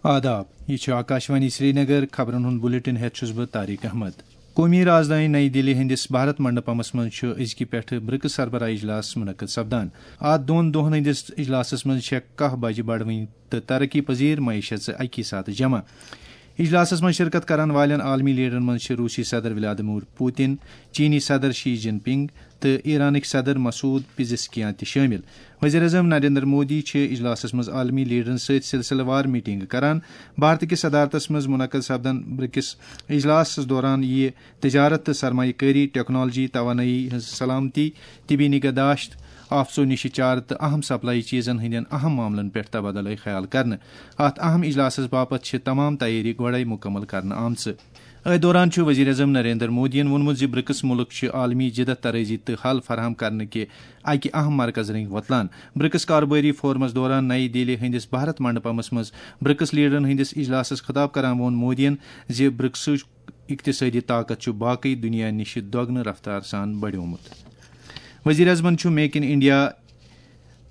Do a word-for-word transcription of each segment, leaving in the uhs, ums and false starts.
آداب، یہِ چھُ آکاشوانی سرینگر۔ خبرن ہُنٛد بلیٹن ہٮ۪تھ چھُس بہٕ طارق احمد۔ قومی رازدٲنۍ نئی دِلی ہٕنٛدِس بھارت منڈپمس منٛز چھُ أزکہِ پٮ۪ٹھٕ برکس سربراہ اجلاس منعقد سپدان۔ اتھ دۄن دۄہن ہٕنٛدِس اجلاسس منٛز چھےٚ کاہ بجہِ بڑوٕنۍ تہٕ ترقی پذیر معیشت زٕ اکی ساتہٕ جمع۔ اجلاسس منٛز شرکت کرن والٮ۪ن عالمی لیڈرن منٛز چھِ روسی صدر ولادیمیر پوتن، چینی صدر شی جن پنگ تہٕ ایرانٕکۍ صدر مسعود پزشکیان تہِ شٲمِل۔ وزیر اعظم نریندر مودی چھِ اجلاسس منٛز عالمی لیڈرن سۭتۍ سلسلہٕ وار میٹنگ کران۔ بھارت کِس صدارتس منٛز منعقد سپدن برکس اجلاسس دوران یِیہِ تجارت تہٕ سرمایہ کٲری، ٹیکنالوجی، توانٲیی ہٕنٛز سلامتی، طبی نگہداشت، آفژو نِشہِ چارٕ تہٕ اہم سپلائی چیزن ہٕنٛدٮ۪ن اہم معاملن پٮ۪ٹھ تبادلہٕ خیال کرنہٕ۔ اتھ اہم اجلاسس باپتھ چھِ تمام تیٲری گۄڈے مکمل کرنہٕ آمژٕ۔ أتھۍ دوران چھُ وزیر اعظم نریندر مودیَن ووٚنمُت زِ برکس مُلک چھِ عالمی جدت طرٲزی تہٕ حل فراہم کرنہٕ کہِ اکہِ اہم مرکز رٔنگۍ وۄتلان۔ برکس کاربٲری فورمس دوران نئی دِلی ہٕنٛدِس بھارت منڈپمس منٛز برکس لیڈرن ہٕنٛدِس اجلاسس خطاب کران ووٚن مودیَن زِ برکسٕچ اقتصٲدی طاقت چھُ باقٕے دُنیا نِش دۄگنہٕ رفتار سان بڑیومُت۔ وزیر اعظمن چھُ make in India,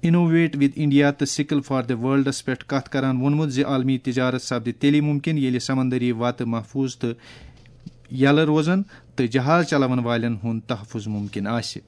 innovate with India تہٕ سکل فار دی ورلڈس پٮ۪ٹھ کتھ کران ووٚنمُت زِ عالمی تجارت سپدِ تیٚلہِ ممکن ییٚلہِ سمندری وتہٕ محفوظ تہٕ یلہٕ روزن تہٕ جہاز چلاون والٮ۪ن ہُنٛد تحفظ ممکن آسہِ۔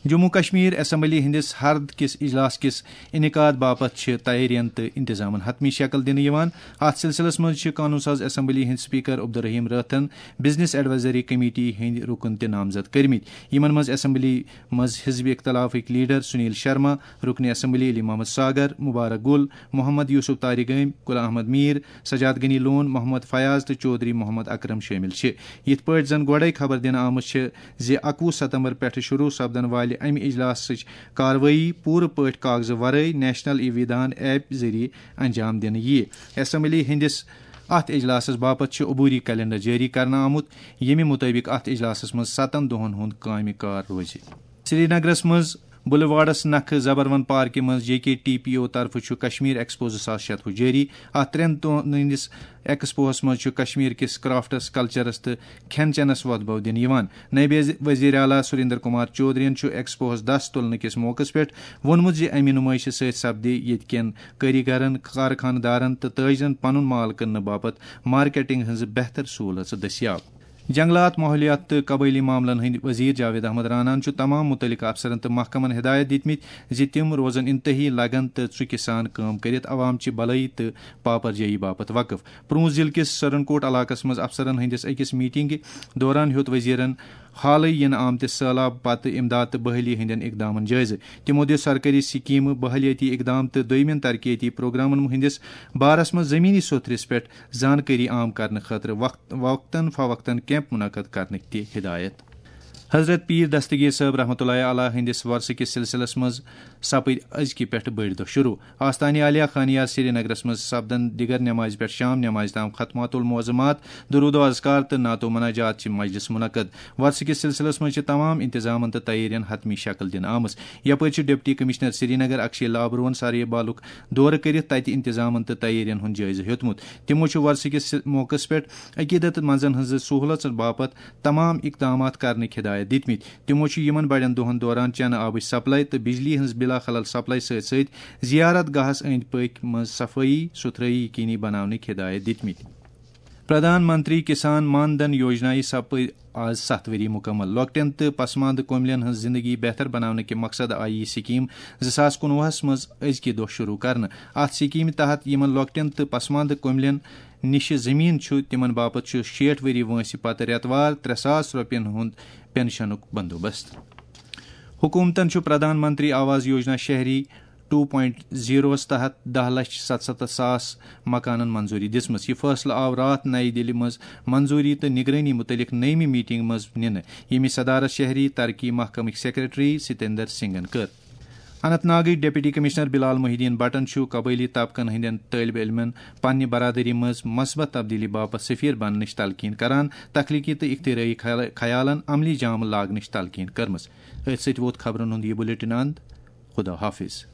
جموں کشمیر اسمبلی ہٕنٛدِس ہرد کِس اجلاس کِس انعقاد باپتھ چھِ تیٲرین تہٕ انتظامن حتمی شکل دِنہٕ یِوان۔ اتھ سلسلس منٛز چھِ قانون ساز اسمبلی ہٕنٛدۍ سپیکر عبدالرحیم رٲتھن بزنس ایڈوائزری کمیٹی ہٕنٛدۍ رکن تہِ نامزد کٔرمٕتۍ، یِمن منٛز اسمبلی منٛز حزب اختلافٕکۍ لیڈر سنیل شرما، رکن اسمبلی علی محمد ساگر، مبارک گل، محمد یوسف طارق گٲمۍ، غلام احمد میر، سجاد غنی لون، محمد فیاض تہٕ چودھری محمد اکرم شٲمِل چھِ۔ یِتھ پٲٹھۍ زَن گۄڈَے خبر دِنہٕ آمٕژ چھِ زِ اَکوُہ ستمبر پٮ۪ٹھٕ شروع سپدن والہِ اَمہِ اجلاسٕچ کاروٲیی پوٗرٕ پٲٹھۍ کاغذٕ ورٲے نیشنل ای وِدھان ایپ ذٔریعہٕ انجام دِنہٕ یِیہِ۔ اسمبلی ہٕنٛدِس اَتھ اجلاسَس باپتھ چھُ عبوری کیلنڈر جٲری کرنہٕ آمُت، ییٚمہِ مُطٲبِق اَتھ اجلاسَس منٛز ستن دۄہَن ہُنٛد کامہِ کار روزِ۔ سرینگرَس منٛز بلیوارڈس نکھٕ زبروَن پارکہِ منٛز جے کے ٹی پی او طرفہٕ چھُ کشمیر ایکسپو زٕ ساس شتوُہ جٲری۔ اتھ ترٛٮ۪ن دۄہن ہٕنٛدِس ایکسپوہس منٛز چھُ کشمیر کِس کرافٹس، کلچرس تہٕ کھٮ۪ن چٮ۪نس وۄتھ بو دِنہٕ یِوان۔ نٲیِب وزیر اعلیٰ سریندر کمار چودھرین چھُ ایکسپوہس دس تُلنہٕ کِس موقعس پٮ۪ٹھ ووٚنمُت زِ امہِ نُمٲیشہِ سۭتۍ سپدِ ییٚتہِ کٮ۪ن کٲریگرن، کارخانہٕ دارن تہٕ تاجرن پنُن مال کٕننہٕ باپتھ مارکیٹنگ ہٕنٛزٕ بہتر سہوٗلژٕ دٔستیاب۔ جنگلات، ماحولیات تہٕ قبٲئلی معاملن ہٕنٛدۍ وزیر جاوید احمد راناہن چھُ تمام مُتعلقہٕ افسرن تہٕ محکمن ہدایت دِتمٕتۍ زِ تِم روزن انتہٲئی لگن تہٕ ژُکہِ سان کٲم کٔرِتھ عوام چہِ بلٲیی تہٕ پاپرجٲیی باپتھ وقف۔ پرونز ضلع کِس سرنکوٹ علاقس منٛز افسرن ہٕنٛدِس أکِس میٹنگہِ دوران ہیوٚت وزیرن حالٕے یِنہٕ آمتِس سٔہلاب پتہٕ امداد تہٕ بحالی ہٕنٛدٮ۪ن اقدامن جٲیزٕ۔ تِمو دِژ سرکٲری سکیمہٕ، بحالیٲتی اقدام تہٕ دوٚیمٮ۪ن ترقیتی پروگرامن ہٕنٛدِس بارس منٛز زمینی سوٚتھرِس پٮ۪ٹھ زانکٲری عام کرنہٕ خٲطرٕ وقت وقتاً فوقتاً کیمپ منعقد کرنٕکۍ تہِ ہدایت۔ حضرت پیر دستگیر صٲب رحمتہ اللہ علیہ ہٕنٛدِس وۄرثہٕ کِس سلسلس منٛز سپٕدۍ أزکہِ پٮ۪ٹھٕ بٔڑۍ دۄہ شروع۔ آستانہِ عالیہ خانیار سرینگرس منٛز سپدن دِگر نمازِ پٮ۪ٹھ شام نمازِ تام ختمات المعظمات، درود و اذکار تہٕ نعت و مناجات چہِ مجلس منعقد۔ وۄرثہٕ کِس سلسلس منٛز چھِ تمام انتظامن تہٕ تیٲرین حتمی شکل دِنہٕ آمٕژ۔ یپٲرۍ چھُ ڈپٹی کمشنر سرینگر اکشے لابروہن سارے بالُک دورٕ کٔرِتھ تتہِ انتظامن تہٕ تیٲرین ہُنٛد جٲیزٕ ہیوٚتمُت۔ تِمو چھُ وۄرثہٕ کِس موقعس پٮ۪ٹھ عقیدت مندن ہٕنٛزٕ سہوٗلژن باپتھ تمام اقدامات کرنٕکۍ ہدایت دِتمٕتۍ۔ تِمو چھُ یِمن بڑٮ۪ن دۄہن دوران چنہٕ آبٕچ سپلائی تہٕ بجلی ہٕنٛز بلا خلل سپلائی سۭتۍ سۭتۍ زیارت گاہس أنٛدۍ پٔکۍ منٛز صفٲیی سُتھرٲیی یقینی بناونٕکۍ ہدایت دِتمٕتۍ۔ پردھان منتری کسان مان دھن یوجنایہِ سپٕدۍ آز ستھ ؤری مکمل۔ لۄکٹٮ۪ن تہٕ پسماندٕ کوملٮ۪ن ہٕنٛز زندگی بہتر بناونہٕ کہِ مقصد آیہِ یہِ سکیٖم زٕ ساس کُنوُہس منٛز أزکہِ دۄہ شروع کرنہٕ۔ اتھ سکیٖمہِ تحت یِمن لۄکٹٮ۪ن تہٕ پسماندٕ کوملٮ۪ن نِشہِ زٔمیٖن چھُ، تِمن باپتھ چھُ شیٹھ ؤری وٲنٛسہِ پتہٕ رٮ۪تہٕ وار ترٛےٚ ساس رۄپین ہُنٛد پینشنُک بندوبست۔ حکومتن چھُ پردھان منتری آواس یوجنا شہری ٹو پوائنٹ زیروَس تحت دَہ لچھ ستَستَتھ ساس مکانن منظوری دِژمٕژ۔ یہِ فٲصلہٕ آو راتھ نَیہِ دِلہِ منٛز منظوری تہٕ نگرٲنی مُتعلق نٔیمہِ میٹنگ منٛز نِنہٕ، ییٚمِچ صدارت شہری ترقی محکمٕکۍ سیکرٹری ستیندر سنگھن کٔر۔ اننت ناگٕکۍ ڈپٹی کمشنر بلال محی الدین بٹن چھُ قبٲئلی طبقن ہٕنٛدٮ۪ن طٲلبہِ علمن پننہِ برادری منٛز مثبت تبدیلی باپتھ سفیر بننٕچ تلقین کران، تخلیقی تہٕ اختراعی خیال-، خیالن عملی جامہٕ لاگنٕچ تلقین کٔرمٕژ۔ أتھۍ سۭتۍ ووت خبرن ہُنٛد یہِ بلیٹن اند۔ خدا حافظ۔